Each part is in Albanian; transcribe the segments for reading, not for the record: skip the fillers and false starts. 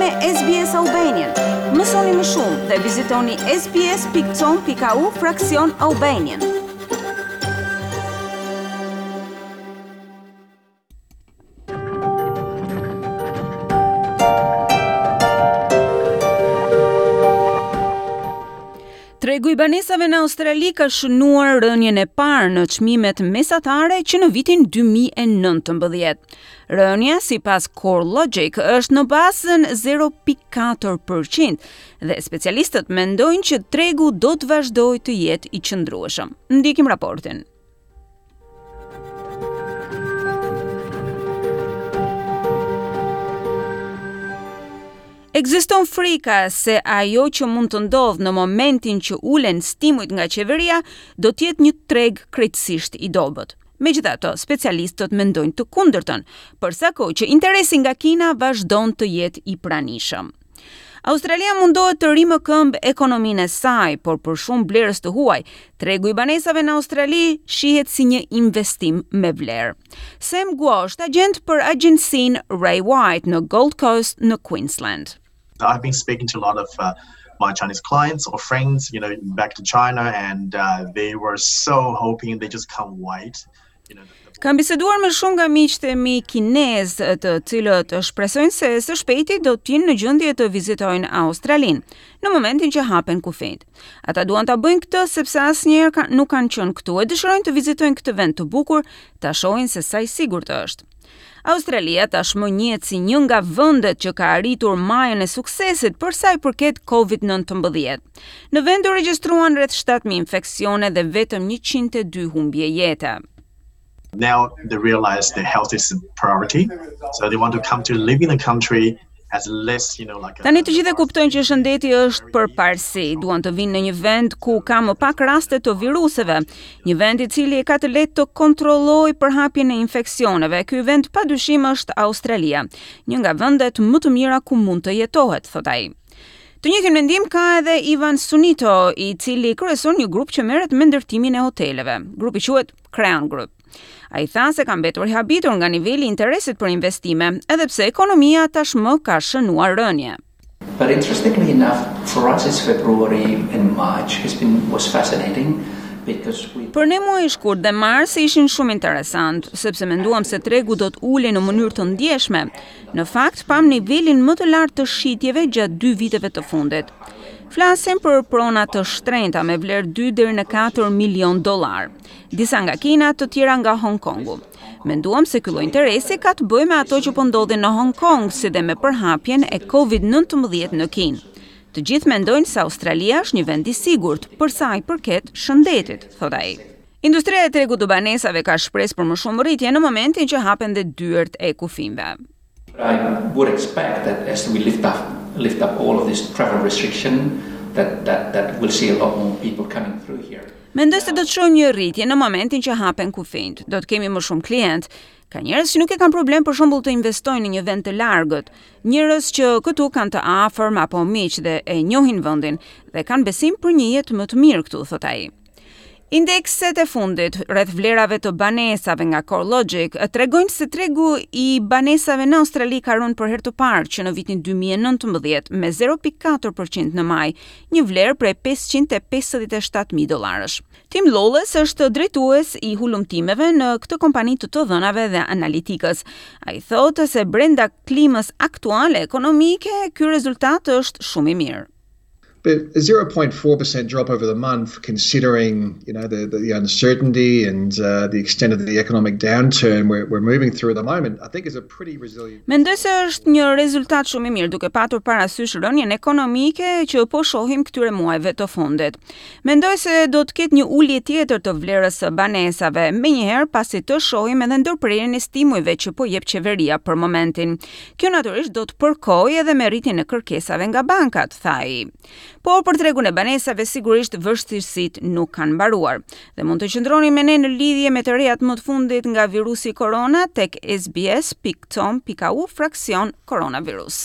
me SBS Albanian. Mësoni më shumë dhe vizitoni sbs.com.au fraksion Albanian. Tregu i banesave në Australi ka shënuar rënien e parë në çmimet mesatare që në vitin 2019. Rënia, sipas CoreLogic, është në bazën 0.4% dhe specialistët mendojnë që tregu do të vazhdojë të jetë i qëndrueshëm. Ndjekim raportin. Ekziston frika se ajo që mund të ndodhë në momentin që ulen stimujt nga qeveria do të jetë një treg krejtësisht i dobët. Megjithatë, specialistët mendojnë të kundërtën, për sa kohë që interesi nga Kina vazhdon të jetë i pranishëm. Australia mundohet të rimëkëmbë ekonominë e saj, por për shumë blerës të huaj, tregu i banesave në Australi shihet si një investim me vlerë. Sam Guo është agjent për agjencinë Ray White në Gold Coast në Queensland. I've been speaking to a lot of uh, my Chinese clients or friends, you know, back to China and uh, they were so hoping they just can't wait. Kam biseduar me shumë nga miqtë e mi kinezë, të cilët shpresojnë se së shpejti do të jenë në gjendje të vizitojnë Australinë, në momentin që hapen kufijtë. Ata duan ta bëjnë këtë sepse asnjëherë ka, nuk kanë qenë këtu e dëshirojnë të vizitojnë këtë vend të bukur, ta shohin se sa i sigurt është. Australia tashmë njihet si një nga vendet që ka arritur majën e suksesit për sa i përket COVID-19. Në vend u regjistruan rreth 7000 infeksione dhe vetëm 102 humbje jete. Now they realize that health is a priority, so they want to come to live in a country has less, you know, like Tani të gjithë e kuptojnë që shëndeti është përparësi, duan të vinë në një vend ku ka më pak raste të viruseve, një vend i cili e ka të lehtë të kontrollojë përhapjen e infeksioneve. Ky vend padyshim është Australia, një nga vendet më të mira ku mund të jetohet, thotë ai. Të njëjtin mendim ka edhe Ivan Sunito, i cili kryeson një grup që merret me ndërtimin e hoteleve. Grupi quhet Creon Group. Ai tha se ka mbetur i habitur nga niveli i interesit për investime, edhe pse ekonomia tashmë ka shënuar rënie. But interestingly enough, for us it's February and March has been was fascinating because we Për ne muaji shkurt dhe mars ishin shumë interesant, sepse menduam se tregu do të ulej në mënyrë të ndjeshme. Në fakt, pamë nivelin më të lartë të shitjeve gjatë dy viteve të fundit. Flasim për prona të shtrenjta me vlerë 2 deri në 4 milion dollar. Disa nga Kina, të tjera nga Hong Kongu. Menduam se ky lloj interesi ka të bëjë me ato që po ndodhin në Hong Kong, si dhe me përhapjen e Covid-19 në Kinë. Të gjithë mendojnë se Australia është një vend i sigurt për sa i përket shëndetit, thotë ai. Industria e tregut të banesave ka shpresë për më shumë rritje në momentin që hapen dhe dyert e kufinjve. I would expect that as we lift up lift up all of this travel restriction that that that we'll see a lot more people coming through here. Mendoj se do të shohim një rritje në momentin që hapen kufinjtë. Do të kemi më shumë klient. Ka njerëz që nuk e kanë problem për shembull të investojnë në një vend të largët. Njerëz që këtu kanë të afërm apo miq dhe e njohin vendin dhe kanë besim për një jetë më të mirë këtu, thotë ai. Indekset e fundit rreth vlerave të banesave nga CoreLogic tregojnë se tregu i banesave në Australi ka rënë për herë të parë që në vitin 2019 me 0.4% në maj, një vlerë prej 557.000 dollarësh. Tim Lawless është drejtues i hulumtimeve në këtë kompani të të dhënave dhe analitikës. Ai thotë se brenda klimës aktuale ekonomike, ky rezultat është shumë i mirë. But a 0.4% drop over the month, considering you know the, the, the uncertainty and uh, the extent of the economic downturn we're, we're moving through at the moment, I think is a pretty resilient. Mendoj se është një rezultat shumë i mirë duke patur parasysh rënien ekonomike që po shohim këtyre muajve të fundit. Mendoj se do të ketë një ulje tjetër të vlerës së banesave, menjëherë pasi të shohim edhe ndërprerjen e stimujve që po jep qeveria për momentin. Kjo natyrisht do të përkojë edhe me rritjen e kërkesave nga bankat, tha ai. Por për tregun e banesave sigurisht vështirësitë nuk kanë mbaruar. Dhe mund të qëndroni me ne në lidhje me të rejat më të fundit nga virusi korona tek sbs.com.au fraksion koronavirus.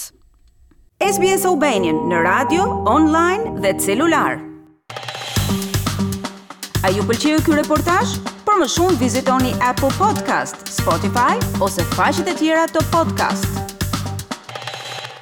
SBS Albanian në radio, online dhe celular. A ju pëlqeu ky reportazh? Për më shumë vizitoni Apple Podcast, Spotify ose faqet e tjera të podcast.